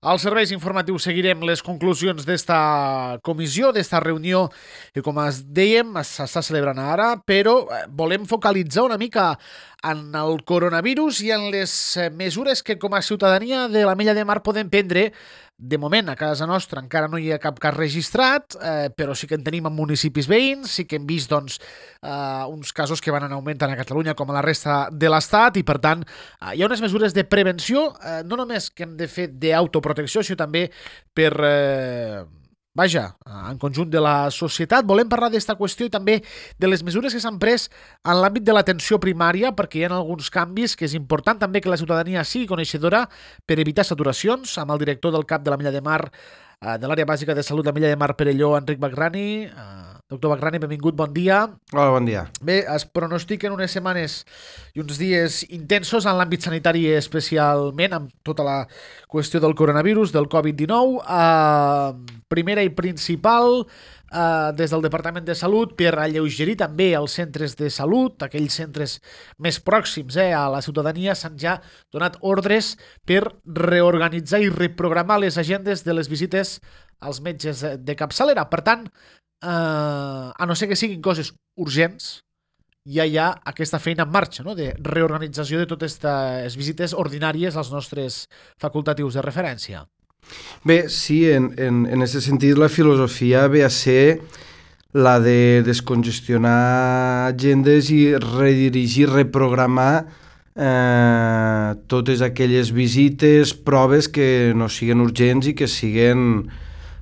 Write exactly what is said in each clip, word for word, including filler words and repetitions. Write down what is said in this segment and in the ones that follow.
Als serveis informatius seguirem les conclusions d'esta comissió, d'esta reunió que, com es dèiem, s'està celebrant ara, però volem focalitzar una mica en el coronavirus i en les mesures que com a ciutadania de l'Ametlla de Mar podem prendre. De moment, a casa nostra encara no hi ha cap cas registrat, eh, però sí que en tenim en municipis veïns, sí que hem vist doncs, eh, uns casos que van en augment tant a Catalunya com a la resta de l'Estat i, per tant, eh, hi ha unes mesures de prevenció, eh, no només que hem de fer d'autoprotecció, sinó també per... Eh, Vaja, en conjunt de la societat. Volem parlar d'esta qüestió i també de les mesures que s'han pres en l'àmbit de l'atenció primària, perquè hi ha alguns canvis que és important també que la ciutadania sigui coneixedora per evitar saturacions. Amb el director del CAP de l'Ametlla de Mar, de l'àrea bàsica de salut de l'Ametlla de Mar Perelló, Enric Bagrani. Doctor Bagrani, benvingut, bon dia. Hola, bon dia. Bé, es pronostiquen unes setmanes i uns dies intensos en l'àmbit sanitari, especialment amb tota la qüestió del coronavirus, del covid dinou. Eh, primera i principal, eh, des del Departament de Salut, per alleugerir també els centres de salut, aquells centres més pròxims eh, a la ciutadania, s'han ja donat ordres per reorganitzar i reprogramar les agendes de les visites als metges de capçalera. Per tant, Uh, a no ser que siguin coses urgents, ja hi ha aquesta feina en marxa, no? De reorganització de totes aquestes visites ordinàries als nostres facultatius de referència. Bé, sí, en, en, en aquest sentit la filosofia ve a ser la de descongestionar agendes i redirigir, reprogramar eh, totes aquelles visites, proves que no siguin urgents i que siguin...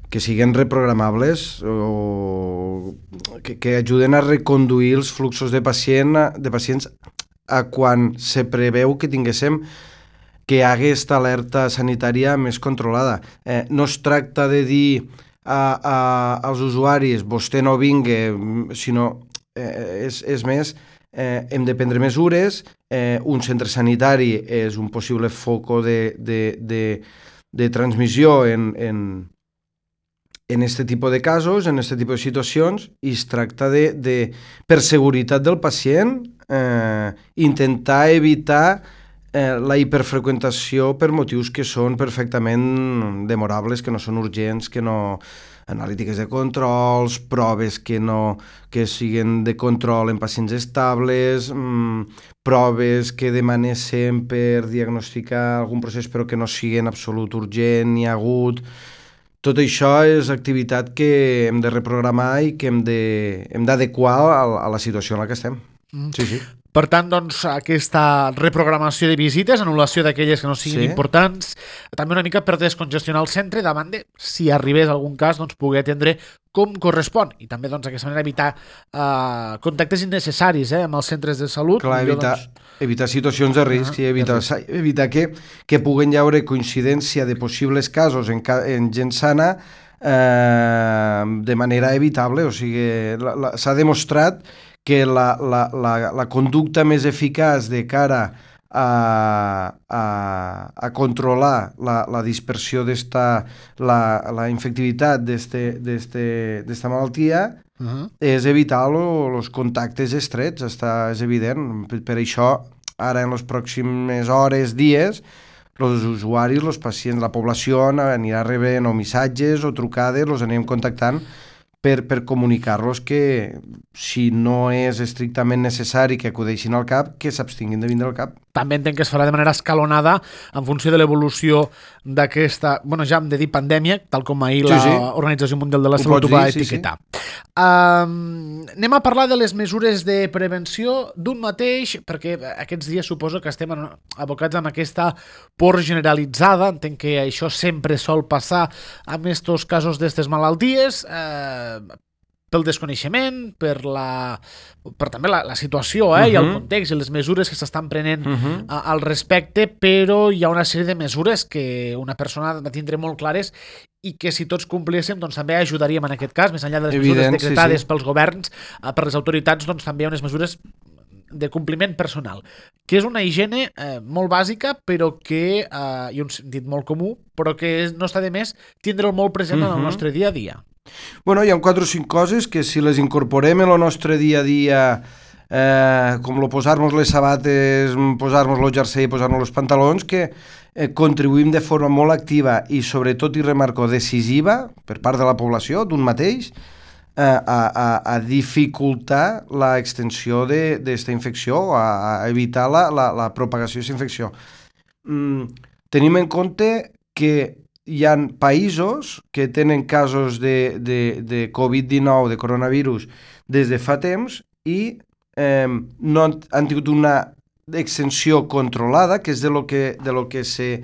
que siguin reprogramables o que, que ajuden a reconduir els fluxos de, pacient, de pacients a quan se preveu que tinguéssim que hi hagi aquesta alerta sanitària més controlada. Eh, no es tracta de dir a, a, als usuaris vostè no vingui, sinó eh, és, és més, eh, hem de prendre mesures, eh, un centre sanitari és un possible foco de, de, de, de transmissió en, en en este tipus de casos, en este tipus de situacions, i es tracta de, de per seguretat del pacient, eh, intentar evitar eh, la hiperfreqüentació per motius que són perfectament demorables, que no són urgents, que no... analítiques de controls, proves que no que siguin de control en pacients estables, mmm, proves que demanessin per diagnosticar algun procés però que no siguin absolut urgent ni agut. Tot això és activitat que hem de reprogramar i que hem de, hem d'adequar a, a la situació en la que estem. Mm. Sí, sí. Per tant, doncs, aquesta reprogramació de visites, anul·lació d'aquelles que no siguin sí. importants, també una mica per descongestionar el centre davant de, si arribés algun cas, doncs, poder atendre com correspon. I també, doncs, d'aquesta manera evitar uh, contactes innecessaris eh, amb els centres de salut. Clar, evitar, doncs... evitar situacions de risc uh-huh. i evitar, evitar que, que puguen hi haure coincidència de possibles casos en, en gent sana eh, de manera evitable. O sigui, la, la, s'ha demostrat que la, la, la, la conducta més eficaç de cara a, a, a controlar la, la dispersió d'esta, la, la infectivitat d'esta malaltia uh-huh. és evitar els contactes estrets, està, és evident. Per, per això, ara en les pròximes hores, dies, els usuaris, els pacients, la població anirà rebent o missatges o trucades, els anem contactant Per, per comunicar-los que si no és estrictament necessari que acudeixin al CAP, que s'abstinguin de vindre al CAP. També entenc que es farà de manera escalonada en funció de l'evolució d'aquesta, bueno, ja hem de dir pandèmia, tal com ahir sí, sí. l'Organització Mundial de la Salut ho va dir, etiquetar. Sí, sí. Um, anem a parlar de les mesures de prevenció d'un mateix, perquè aquests dies suposo que estem abocats amb aquesta por generalitzada. Entenc que això sempre sol passar amb estos casos d'estes malalties, eh, pel desconeixement, per, la, per també la, la situació eh, uh-huh. i el context i les mesures que s'estan prenent uh-huh. a, al respecte, però hi ha una sèrie de mesures que una persona ha de tindre molt clares i que si tots complíssim doncs, també ajudaríem en aquest cas, més enllà de les Evident, mesures decretades sí, sí. pels governs, per les autoritats, doncs també hi ha unes mesures de compliment personal, que és una higiene eh, molt bàsica, però que, eh, i un sentit molt comú, però que no està de més tindre'l molt present uh-huh. en el nostre dia a dia. Bueno, hi ha quatre o cinc coses que si les incorporem en el nostre dia a dia, eh, com lo posar-nos les sabates, posar-nos el jersei, posar-nos els pantalons, que eh, contribuïm de forma molt activa i sobretot, i remarco, decisiva per part de la població, d'un mateix, eh, a, a, a dificultar l'extensió d'aquesta infecció, a, a evitar la, la, la propagació d'aquesta infecció. Mm, tenim en compte que hi ha països que tenen casos de, de, de covid dinou, de coronavirus, des de fa temps i eh, no han, han tingut una extensió controlada, que és de lo que, de lo que, se,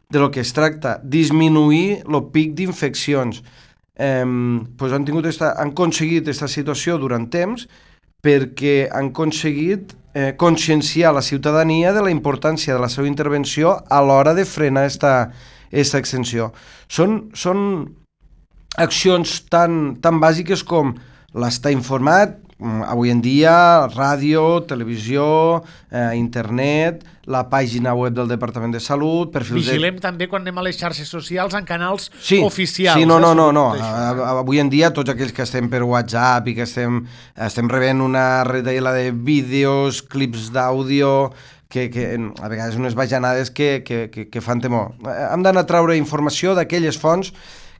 de lo que es tracta, disminuir el pic d'infeccions. Eh, pues han, tingut esta, han aconseguit aquesta situació durant temps perquè han aconseguit eh, conscienciar la ciutadania de la importància de la seva intervenció a l'hora de frenar esta, esta extensió. Són, són accions tan, tan bàsiques com l'estar informat, avui en dia, ràdio, televisió, eh, internet, la pàgina web del Departament de Salut, perfils... Vigilem de... també quan anem a les xarxes socials en canals sí, oficials. Sí, no, no, eh, no, no. Avui en dia tots aquells que estem per WhatsApp i que estem, estem rebent una retallada de vídeos, clips d'àudio, que, que a vegades unes bajanades que, que, que, que fan temor. Hem d'anar a treure informació d'aquelles fonts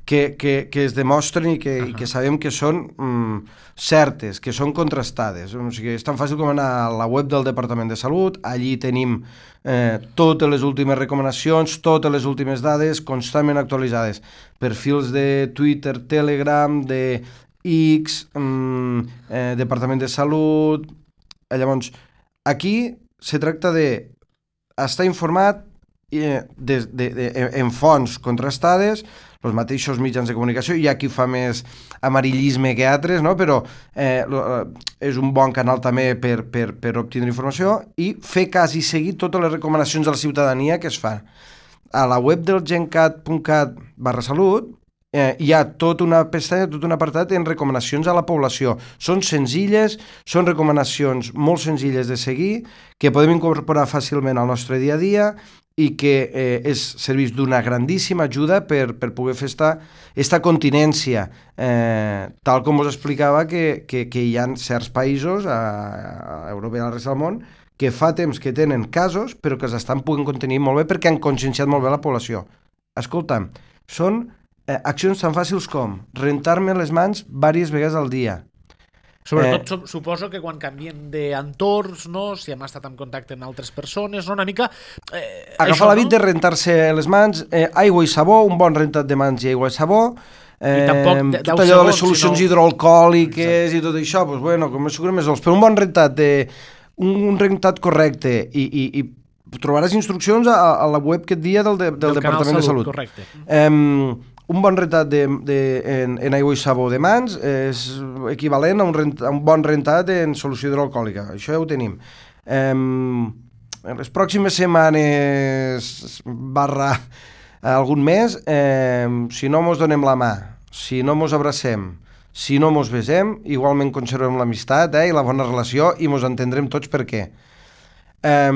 que, que, que es demostren i que, uh-huh. i que sabem que són mm, certes, que són contrastades. O sigui, és tan fàcil com anar a la web del Departament de Salut, allí tenim eh, totes les últimes recomanacions, totes les últimes dades constantment actualitzades. Perfils de Twitter, Telegram, de X, mm, eh, Departament de Salut... Llavors, aquí se tracta de estar informat eh, de, de, de, en fonts contrastades, els mateixos mitjans de comunicació. Hi ha qui fa més amarillisme que altres, no? Però eh, és un bon canal també per, per, per obtenir informació i fer cas i seguir totes les recomanacions de la ciutadania que es fa. A la web del gencat punt cat barra salut eh, hi ha tota una pestanya, tot un apartat en recomanacions a la població. Són senzilles, són recomanacions molt senzilles de seguir, que podem incorporar fàcilment al nostre dia a dia i que eh, és serveix d'una grandíssima ajuda per, per poder fer esta, esta continència, eh, tal com us explicava que, que, que hi ha certs països a, a Europa i a la resta del món que fa temps que tenen casos però que s'estan podent contenir molt bé perquè han conscienciat molt bé la població. Escolta'm, són eh, accions tan fàcils com rentar-me les mans diverses vegades al dia. Sobretot eh, suposo que quan canviem d'entorns, no? Si hem estat en contacte amb altres persones, no? Una mica... Eh, Agafar l'hàbit no? de rentar-se les mans, eh, aigua i sabó, un bon rentat de mans i aigua i sabó, eh, I tampoc tot allò de les solucions sinó... hidroalcohòliques i tot això, doncs, bueno, com més segurament més dolç, però un bon rentat, de, un, un rentat correcte i, i, i trobaràs instruccions a, a la web aquest dia del, de, del, del Departament de Salut. Correcte. Eh, un bon rentat de, de, en, en aigua i sabó de mans és equivalent a un, rent, a un bon rentat en solució hidroalcohòlica. Això ja ho tenim. Eh, en les pròximes setmanes barra algun mes, eh, si no mos donem la mà, si no mos abracem, si no mos besem, igualment conservem l'amistat eh, i la bona relació i mos entendrem tots per què. Eh,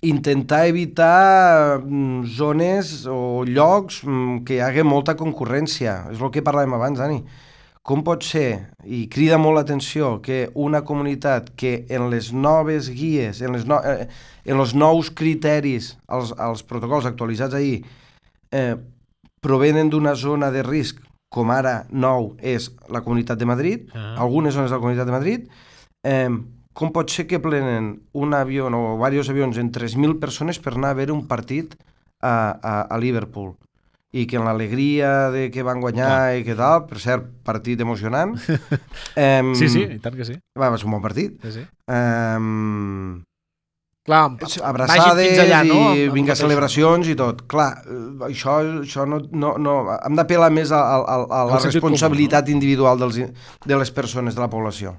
intentar evitar mm, zones o llocs mm, que hi hagi molta concurrència. És el que parlàvem abans, Dani. Com pot ser, i crida molt l'atenció, que una comunitat que en les noves guies, en, les no, eh, en els nous criteris, els, els protocols actualitzats ahir, eh, provenen d'una zona de risc, com ara nou és la Comunitat de Madrid, ah. algunes zones de la Comunitat de Madrid, eh, com pot ser que plenen un avió o diversos avions en tres mil persones per anar a veure un partit a, a, a Liverpool i que en l'alegria de que van guanyar ah. i que tal, per cert, partit emocionant. um, sí, sí, i tant que sí. Va, va ser un bon partit. Sí, sí. Um, Clar, abraçades allà, no? i vinga celebracions i tot. Clar, això, això no, no, no... Hem d'apel·lar més a, a, a la responsabilitat comú, no? individual dels, de les persones, de la població.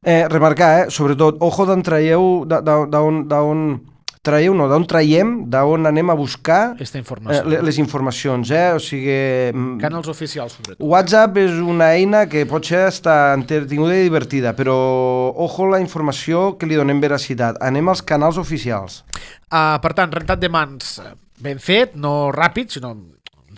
Eh, remarcar, eh, sobretot, ojo d'on traieu, d'on traieu, no, d'on traiem, d'on anem a buscar Esta informació. eh, les informacions, eh, o sigui... Canals oficials, sobretot. WhatsApp és una eina que pot ser estar entretinguda i divertida, però ojo la informació que li donem veracitat. Anem als canals oficials. Uh, per tant, rentat de mans ben fet, no ràpid, sinó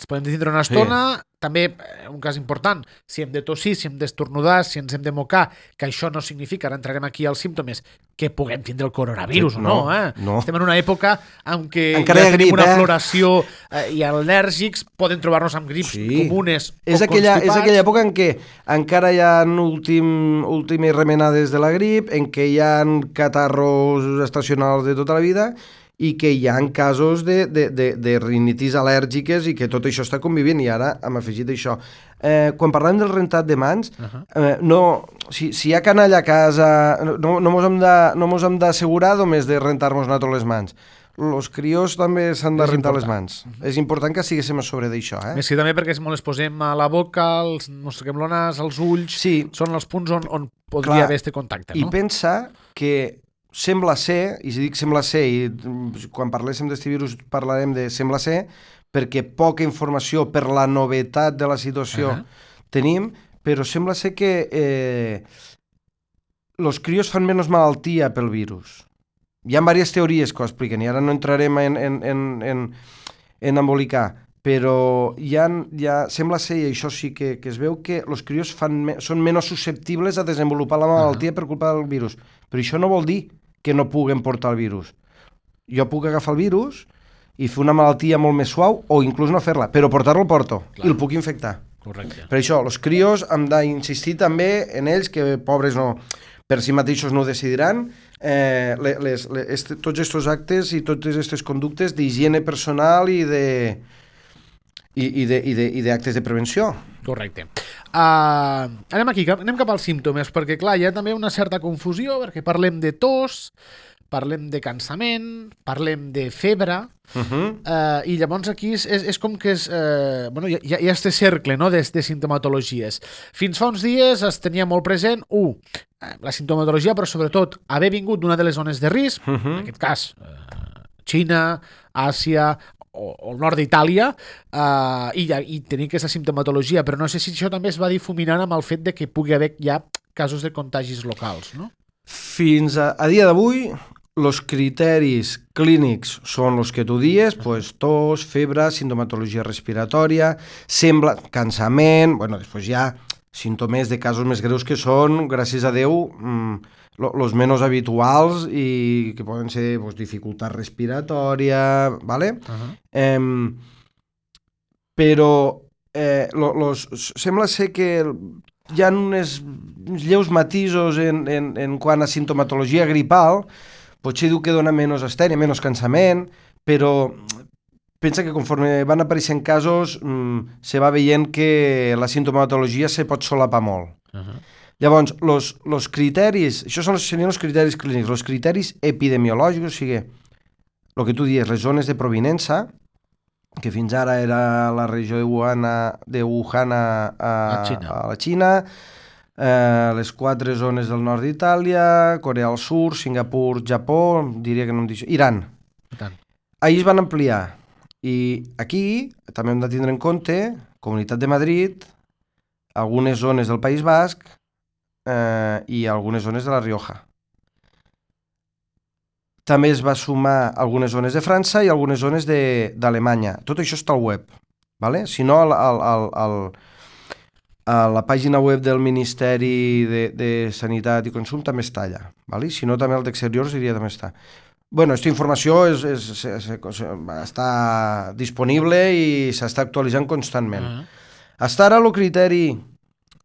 ens podem tindre una estona. Sí. També, un cas important, si hem de tossir, si hem d'estornudar, si ens hem de mocar, que això no significa, ara entrarem aquí als símptomes, que puguem tindre el coronavirus o no, no, eh? no. Estem en una època en què Encara ja tenim grip, una eh? floració eh, i al·lèrgics, poden trobar-nos amb grips sí. comunes és o aquella, constipats. És aquella època en què encara hi ha últim, últimes remenades de la grip, en què hi ha catarros estacionals de tota la vida i que hi ha casos de, de, de, de rinitis al·lèrgiques i que tot això està convivint, i ara hem afegit això. Eh, quan parlem del rentat de mans, uh-huh. eh, no, si, si hi ha canalla a casa, no, no mos hem de, no mos hem d'assegurar només de rentar-nos nosaltres les mans. Els crios també s'han de és rentar important. les mans. Uh-huh. És important que estiguéssim a sobre d'això. Eh? Més que també perquè molt les posem a la boca, els mosseguem el nas, els ulls, sí. són els punts on, on podria Clar. haver este contacte. No? I pensa que sembla ser, i si dic sembla ser, i quan parléssim d'este virus parlarem de sembla ser, perquè poca informació per la novetat de la situació uh-huh. tenim, però sembla ser que eh, els crios fan menys malaltia pel virus. Hi ha diverses teories que ho expliquen, i ara no entrarem en, en, en, en, en embolicar, però hi ha, hi ha, sembla ser, i això sí que, que es veu, que els crios fan, són menys susceptibles a desenvolupar la malaltia uh-huh. per culpa del virus. Però això no vol dir que no puguen portar el virus. Jo puc agafar el virus i fer una malaltia molt més suau, o inclús no fer-la, però portar-lo el porto, Clar. i el puc infectar. Correcte. Per això, els crios hem d'insistir també en ells, que pobres no, per si mateixos no ho decidiran, eh, les, les, este, tots aquests actes i totes aquestes conductes d'higiene personal i de... i, i, de, i, de, i d'actes de prevenció. Correcte. Uh, anem aquí, anem cap als símptomes, perquè clar, hi ha també una certa confusió, perquè parlem de tos, parlem de cansament, parlem de febre, uh-huh. uh, i llavors aquí és, és, és com que és, uh, bueno, hi ha, hi ha este cercle, no?, de, de sintomatologies. Fins fa uns dies es tenia molt present, un, uh, la sintomatologia, però sobretot haver vingut d'una de les zones de risc, uh-huh. en aquest cas, uh, Xina, Àsia, o, o el nord d'Itàlia, uh, i, i tenir aquesta simptomatologia, però no sé si això també es va difuminant amb el fet de que pugui haver ja casos de contagis locals, no? Fins a, a dia d'avui, els criteris clínics són els que tu dies, pues, tos, febre, sintomatologia respiratòria, sembla, cansament, bueno, després hi ha símptomes de casos més greus que són, gràcies a Déu, mmm, els menys habituals i que poden ser pues, dificultat respiratòria, ¿vale? Uh-huh. eh, però eh, lo, los, sembla ser que hi ha uns, uns lleus matisos en, en, en quant a sintomatologia gripal, potser diu que dona menys astènia, menys cansament, però pensa que conforme van apareixent casos mmm, se va veient que la sintomatologia se pot solapar molt. Uh-huh. Llavors, los, los criteris, això són, serien els criteris clínics, els criteris epidemiològics, o sigui, el que tu dius, les zones de provinença, que fins ara era la regió de Wuhan, de Wuhan a, a, a la Xina, eh, les quatre zones del nord d'Itàlia, Corea del Sur, Singapur, Japó, diria que no em dic... Iran. Ahir es van ampliar. I aquí també hem de tindre en compte Comunitat de Madrid, algunes zones del País Basc, Eh, i algunes zones de la Rioja. També es va sumar algunes zones de França i algunes zones d'Alemanya. Tot això està al web. ¿Vale? Si no, al, al, al, al, a la pàgina web del Ministeri de, de Sanitat i Consum també està allà. ¿Vale? Si no, també el d'Exteriors diria també està. Bueno, aquesta informació és, és, és, és, està disponible i s'està actualitzant constantment. Uh-huh. Hasta ara el criteri...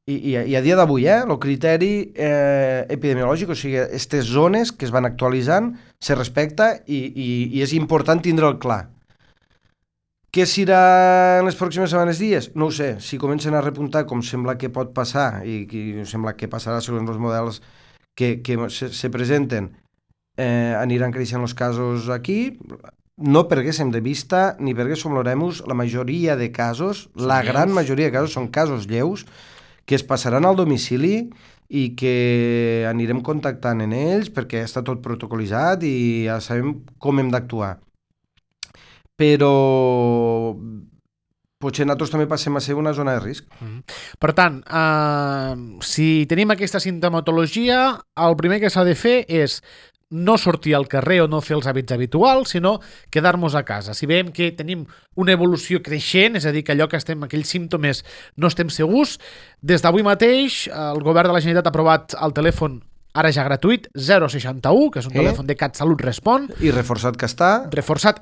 I, i, i a dia d'avui, eh, el criteri eh, epidemiològic, o sigui, aquestes zones que es van actualitzant, se respecta i, i, i és important tindre'l clar. Què serà en les pròximes setmanes, dies? No ho sé. Si comencen a repuntar, com sembla que pot passar, i, i sembla que passarà segons els models que, que se, se presenten, eh, aniran creixent els casos aquí, no perguéssim de vista ni perquè som l'oremus, la majoria de casos, són la gran lleus. majoria de casos són casos lleus, que es passaran al domicili i que anirem contactant en ells perquè està tot protocolitzat i ja sabem com hem d'actuar. Però potser nosaltres també passem a ser una zona de risc. Mm-hmm. Per tant, eh, si tenim aquesta sintomatologia, el primer que s'ha de fer és no sortir al carrer o no fer els hàbits habituals, sinó quedar-nos a casa. Si veiem que tenim una evolució creixent, és a dir, que allò que estem, aquells símptomes no estem segurs, des d'avui mateix el govern de la Generalitat ha aprovat al telèfon ara ja gratuït, zero seixanta-u, que és un Eh? telèfon de CatSalut Respon, I reforçat que està. reforçat.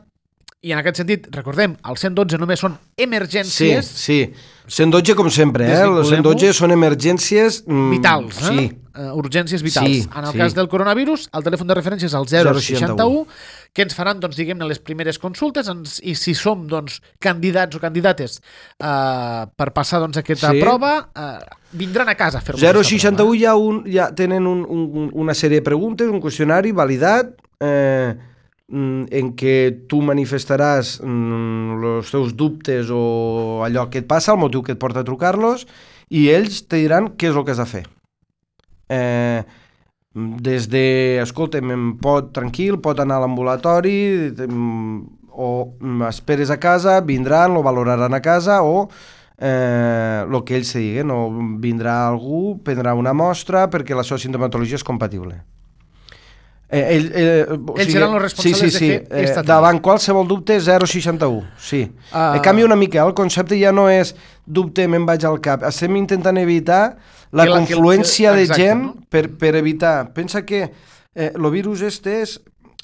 I en aquest sentit, recordem, el cent dotze només són Sí, emergències sí. cent dotze com sempre, eh? El cent dotze són emergències... Mm, vitals, eh? Sí. Uh, urgències vitals. Sí, en el sí. cas del coronavirus, el telèfon de referència és el zero seixanta-u, que ens faran, doncs, diguem-ne, les primeres consultes, ens, i si som, doncs, candidats o candidates uh, per passar, doncs, aquesta Sí. prova, uh, vindran a casa a fer-nos zero aquesta seixanta-u prova. ja, un, ja tenen un, un, una sèrie de preguntes, un qüestionari validat, eh, en què tu manifestaràs els teus dubtes o allò que et passa, el motiu que et porta a trucar-los, i ells te diran què és el que has de fer. Eh, des de, escolta'm, pot, tranquil, pot anar a l'ambulatori, o esperes a casa, vindran, lo valoraran a casa, o eh, el que ells te diguen, o vindrà algú, prendrà una mostra perquè la seva sintomatologia és compatible. Eh, ell, eh, o Ells sigui, seran els responsables sí, sí, sí. de fer eh, esta davant qualsevol dubte, zero seixanta-u, sí. Uh... Eh, canvia una mica, el concepte ja no és dubte, me'n vaig al cap. Estem intentant evitar la, la confluència que, que, exacte, de gent, no? per, per evitar. Pensa que eh, el virus este és,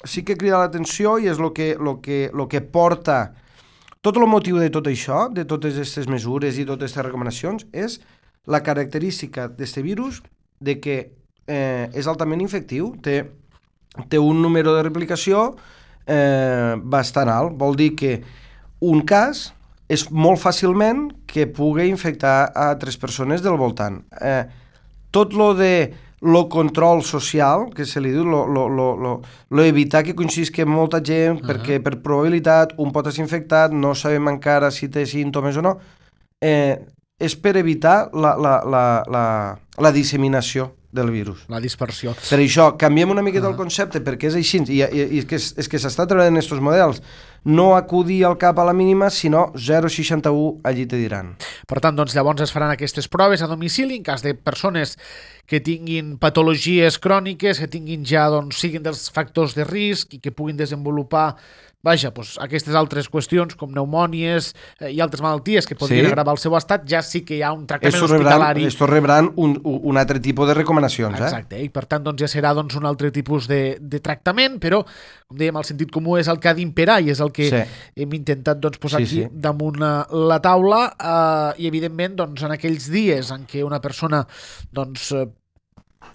sí que crida l'atenció i és el que, lo que, lo que porta... Tot el motiu de tot això, de totes aquestes mesures i totes aquestes recomanacions, és la característica d'aquest virus de que eh, és altament infectiu, té té un número de replicació eh, bastant alt. Vol dir que un cas és molt fàcilment que pugui infectar a altres persones del voltant. Eh, tot lo de lo control social, que se li diu, lo, lo, lo, lo, lo evitar que coincidisca molta gent, uh -huh. perquè per probabilitat un pot estar infectat, no sabem encara si té símptomes o no, eh, és per evitar la, la, la, la, la disseminació del virus. La dispersió. Per això, canviem una miqueta uh -huh. el concepte, perquè és així, i, i, i és que, és que s'està treballant en aquests models. No acudir al cap a la mínima, sinó zero seixanta-u, allí te diran. Per tant, doncs, llavors es faran aquestes proves a domicili en cas de persones que tinguin patologies cròniques, que tinguin ja, doncs, siguin dels factors de risc i que puguin desenvolupar vaja, doncs, aquestes altres qüestions com pneumònies eh, i altres malalties que podrien sí. agravar el seu estat, ja sí que hi ha un tractament estos hospitalari. Estos rebran un, un altre tipus de recomanacions. Exacte, eh? i per tant doncs, ja serà doncs, un altre tipus de, de tractament, però, com dèiem, el sentit comú és el que ha d'imperar i és el que sí. hem intentat doncs, posar sí, aquí sí. damunt la taula eh, i, evidentment, doncs, en aquells dies en què una persona doncs, eh,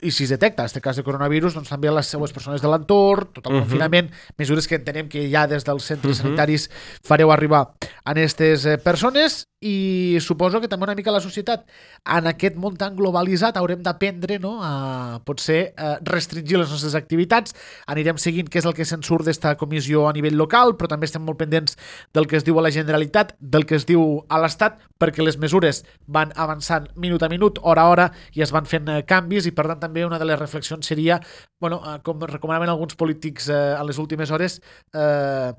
i si es detecta aquest cas de coronavirus, doncs també les seues persones de l'entorn, tot el uh -huh. confinament, mesures que entenem que ja des dels centres uh -huh. sanitaris fareu arribar a aquestes eh, persones, i suposo que també una mica la societat en aquest món tan globalitzat haurem d'aprendre, no?, a potser a restringir les nostres activitats. Anirem seguint què és el que se'n surt d'esta comissió a nivell local, però també estem molt pendents del que es diu a la Generalitat, del que es diu a l'Estat, perquè les mesures van avançant minut a minut, hora a hora, i es van fent eh, canvis, i per tant també una de les reflexions seria, bueno, eh, com recomanaven alguns polítics eh, a les últimes hores, eh,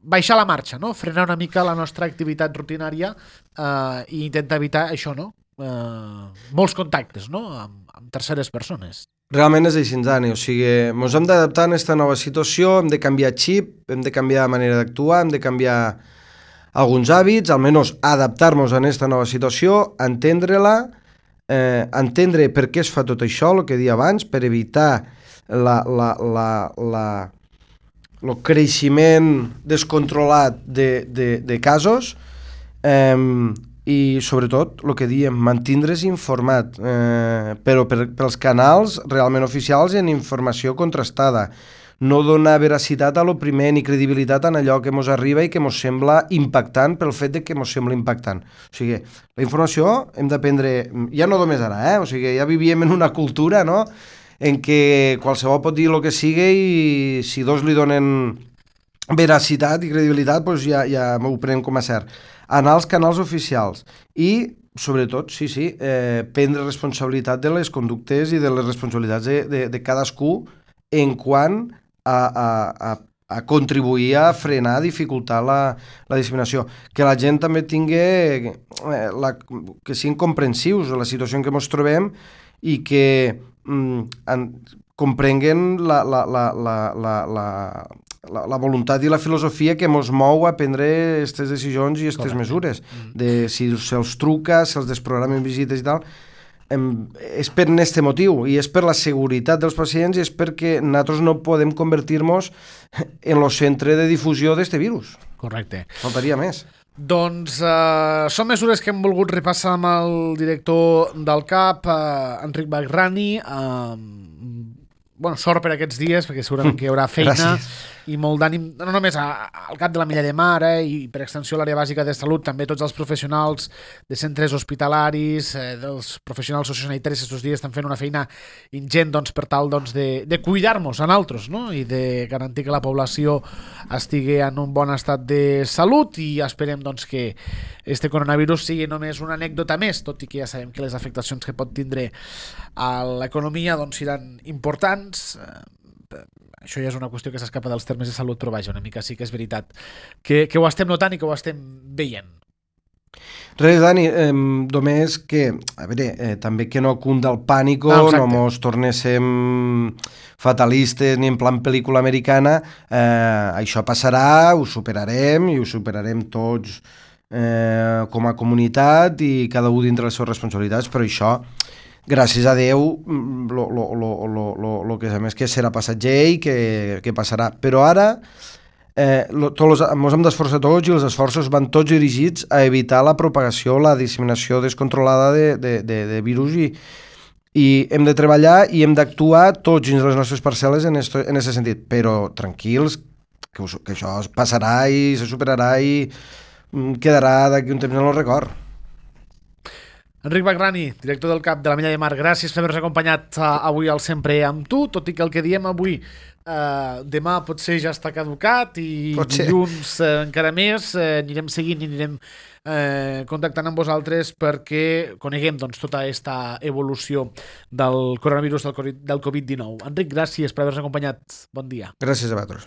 baixar la marxa, no? Frenar una mica la nostra activitat rutinària eh, i intentar evitar això, no? Eh, molts contactes, no? Amb, amb terceres persones. Realment és així, Dani, o sigui, ens hem d'adaptar a aquesta nova situació, hem de canviar xip, hem de canviar manera d'actuar, hem de canviar alguns hàbits, almenys adaptar-nos a aquesta nova situació, entendre-la, eh, entendre per què es fa tot això, el que deia abans, per evitar la, la, la, la, el creixement descontrolat de, de, de casos, eh, i sobretot el que diem, mantindre's informat, eh, però per, pels canals realment oficials i en informació contrastada, no donar veracitat a lo primer ni credibilitat en allò que mos arriba i que mos sembla impactant pel fet de que mos sembla impactant. O sigui, la informació hem d'aprendre, ja no només ara, eh? O sigui, ja vivíem en una cultura, no?, en què qualsevol pot dir el que sigui i si dos li donen veracitat i credibilitat, doncs ja, ja ho prenem com a cert. Anar als canals oficials i, sobretot, sí, sí, eh, prendre responsabilitat de les conductes i de les responsabilitats de, de, de cadascú en quant a, a, a, a contribuir a frenar, a dificultar la, la disseminació. Que la gent també tingui, eh, la, que siguin comprensius de la situació en què ens trobem i que mm, en, comprenguen la, la, la, la, la, la, la, la voluntat i la filosofia que ens mou a prendre aquestes decisions i aquestes mesures. De si se'ls truca, se'ls desprogramen visites i tal. és per aquest motiu, i és per la seguretat dels pacients, i és perquè nosaltres no podem convertir-nos en el centre de difusió d'aquest virus. Correcte. Faltaria més. Doncs eh, són mesures que hem volgut repassar amb el director del C A P, eh, Enric Bagrani. Eh, bueno, sort per aquests dies, perquè segurament que hi haurà feina. Gràcies. I molt d'ànim, no només a, al cap de la Milla de Mar, eh, i per extensió a l'àrea bàsica de salut, també tots els professionals de centres hospitalaris, eh, dels professionals sociosanitaris aquests dies estan fent una feina ingent, doncs, per tal, doncs, de, de cuidar-nos a nosaltres, no? I de garantir que la població estigui en un bon estat de salut, i esperem, doncs, que este coronavirus sigui només una anècdota més, tot i que ja sabem que les afectacions que pot tindre a l'economia, doncs, seran importants. Això ja és una qüestió que s'escapa dels termes de salut, però vaja, una mica sí que és veritat que, que ho estem notant i que ho estem veient. Res, Dani, eh, només que, a veure, eh, també que no cunda el pànico, no, no mos tornéssim fatalistes ni en plan pel·lícula americana, eh, això passarà, ho superarem i ho superarem tots eh, com a comunitat i cada un dintre les seves responsabilitats, però això, gràcies a Déu, lo, lo, lo, lo, lo, lo que sabem és que serà passatger i que, que passarà. Però ara eh, lo, tots ens hem d'esforçar tots, i els esforços van tots dirigits a evitar la propagació, la disseminació descontrolada de, de, de, de virus, i, i hem de treballar i hem d'actuar tots dins les nostres parcel·les en aquest sentit. Però tranquils, que, que això passarà i se superarà i quedarà d'aquí un temps en el record. Enric Bagrani, director del C A P de la Milla de Mar, gràcies per haver-nos acompanyat uh, avui al Sempre amb tu, tot i que el que diem avui uh, demà potser ja està caducat i dilluns uh, encara més, uh, anirem seguint i anirem uh, contactant amb vosaltres perquè coneguem, doncs, tota aquesta evolució del coronavirus del Covid dinou. Enric, gràcies per haver-nos acompanyat. Bon dia. Gràcies a vosaltres.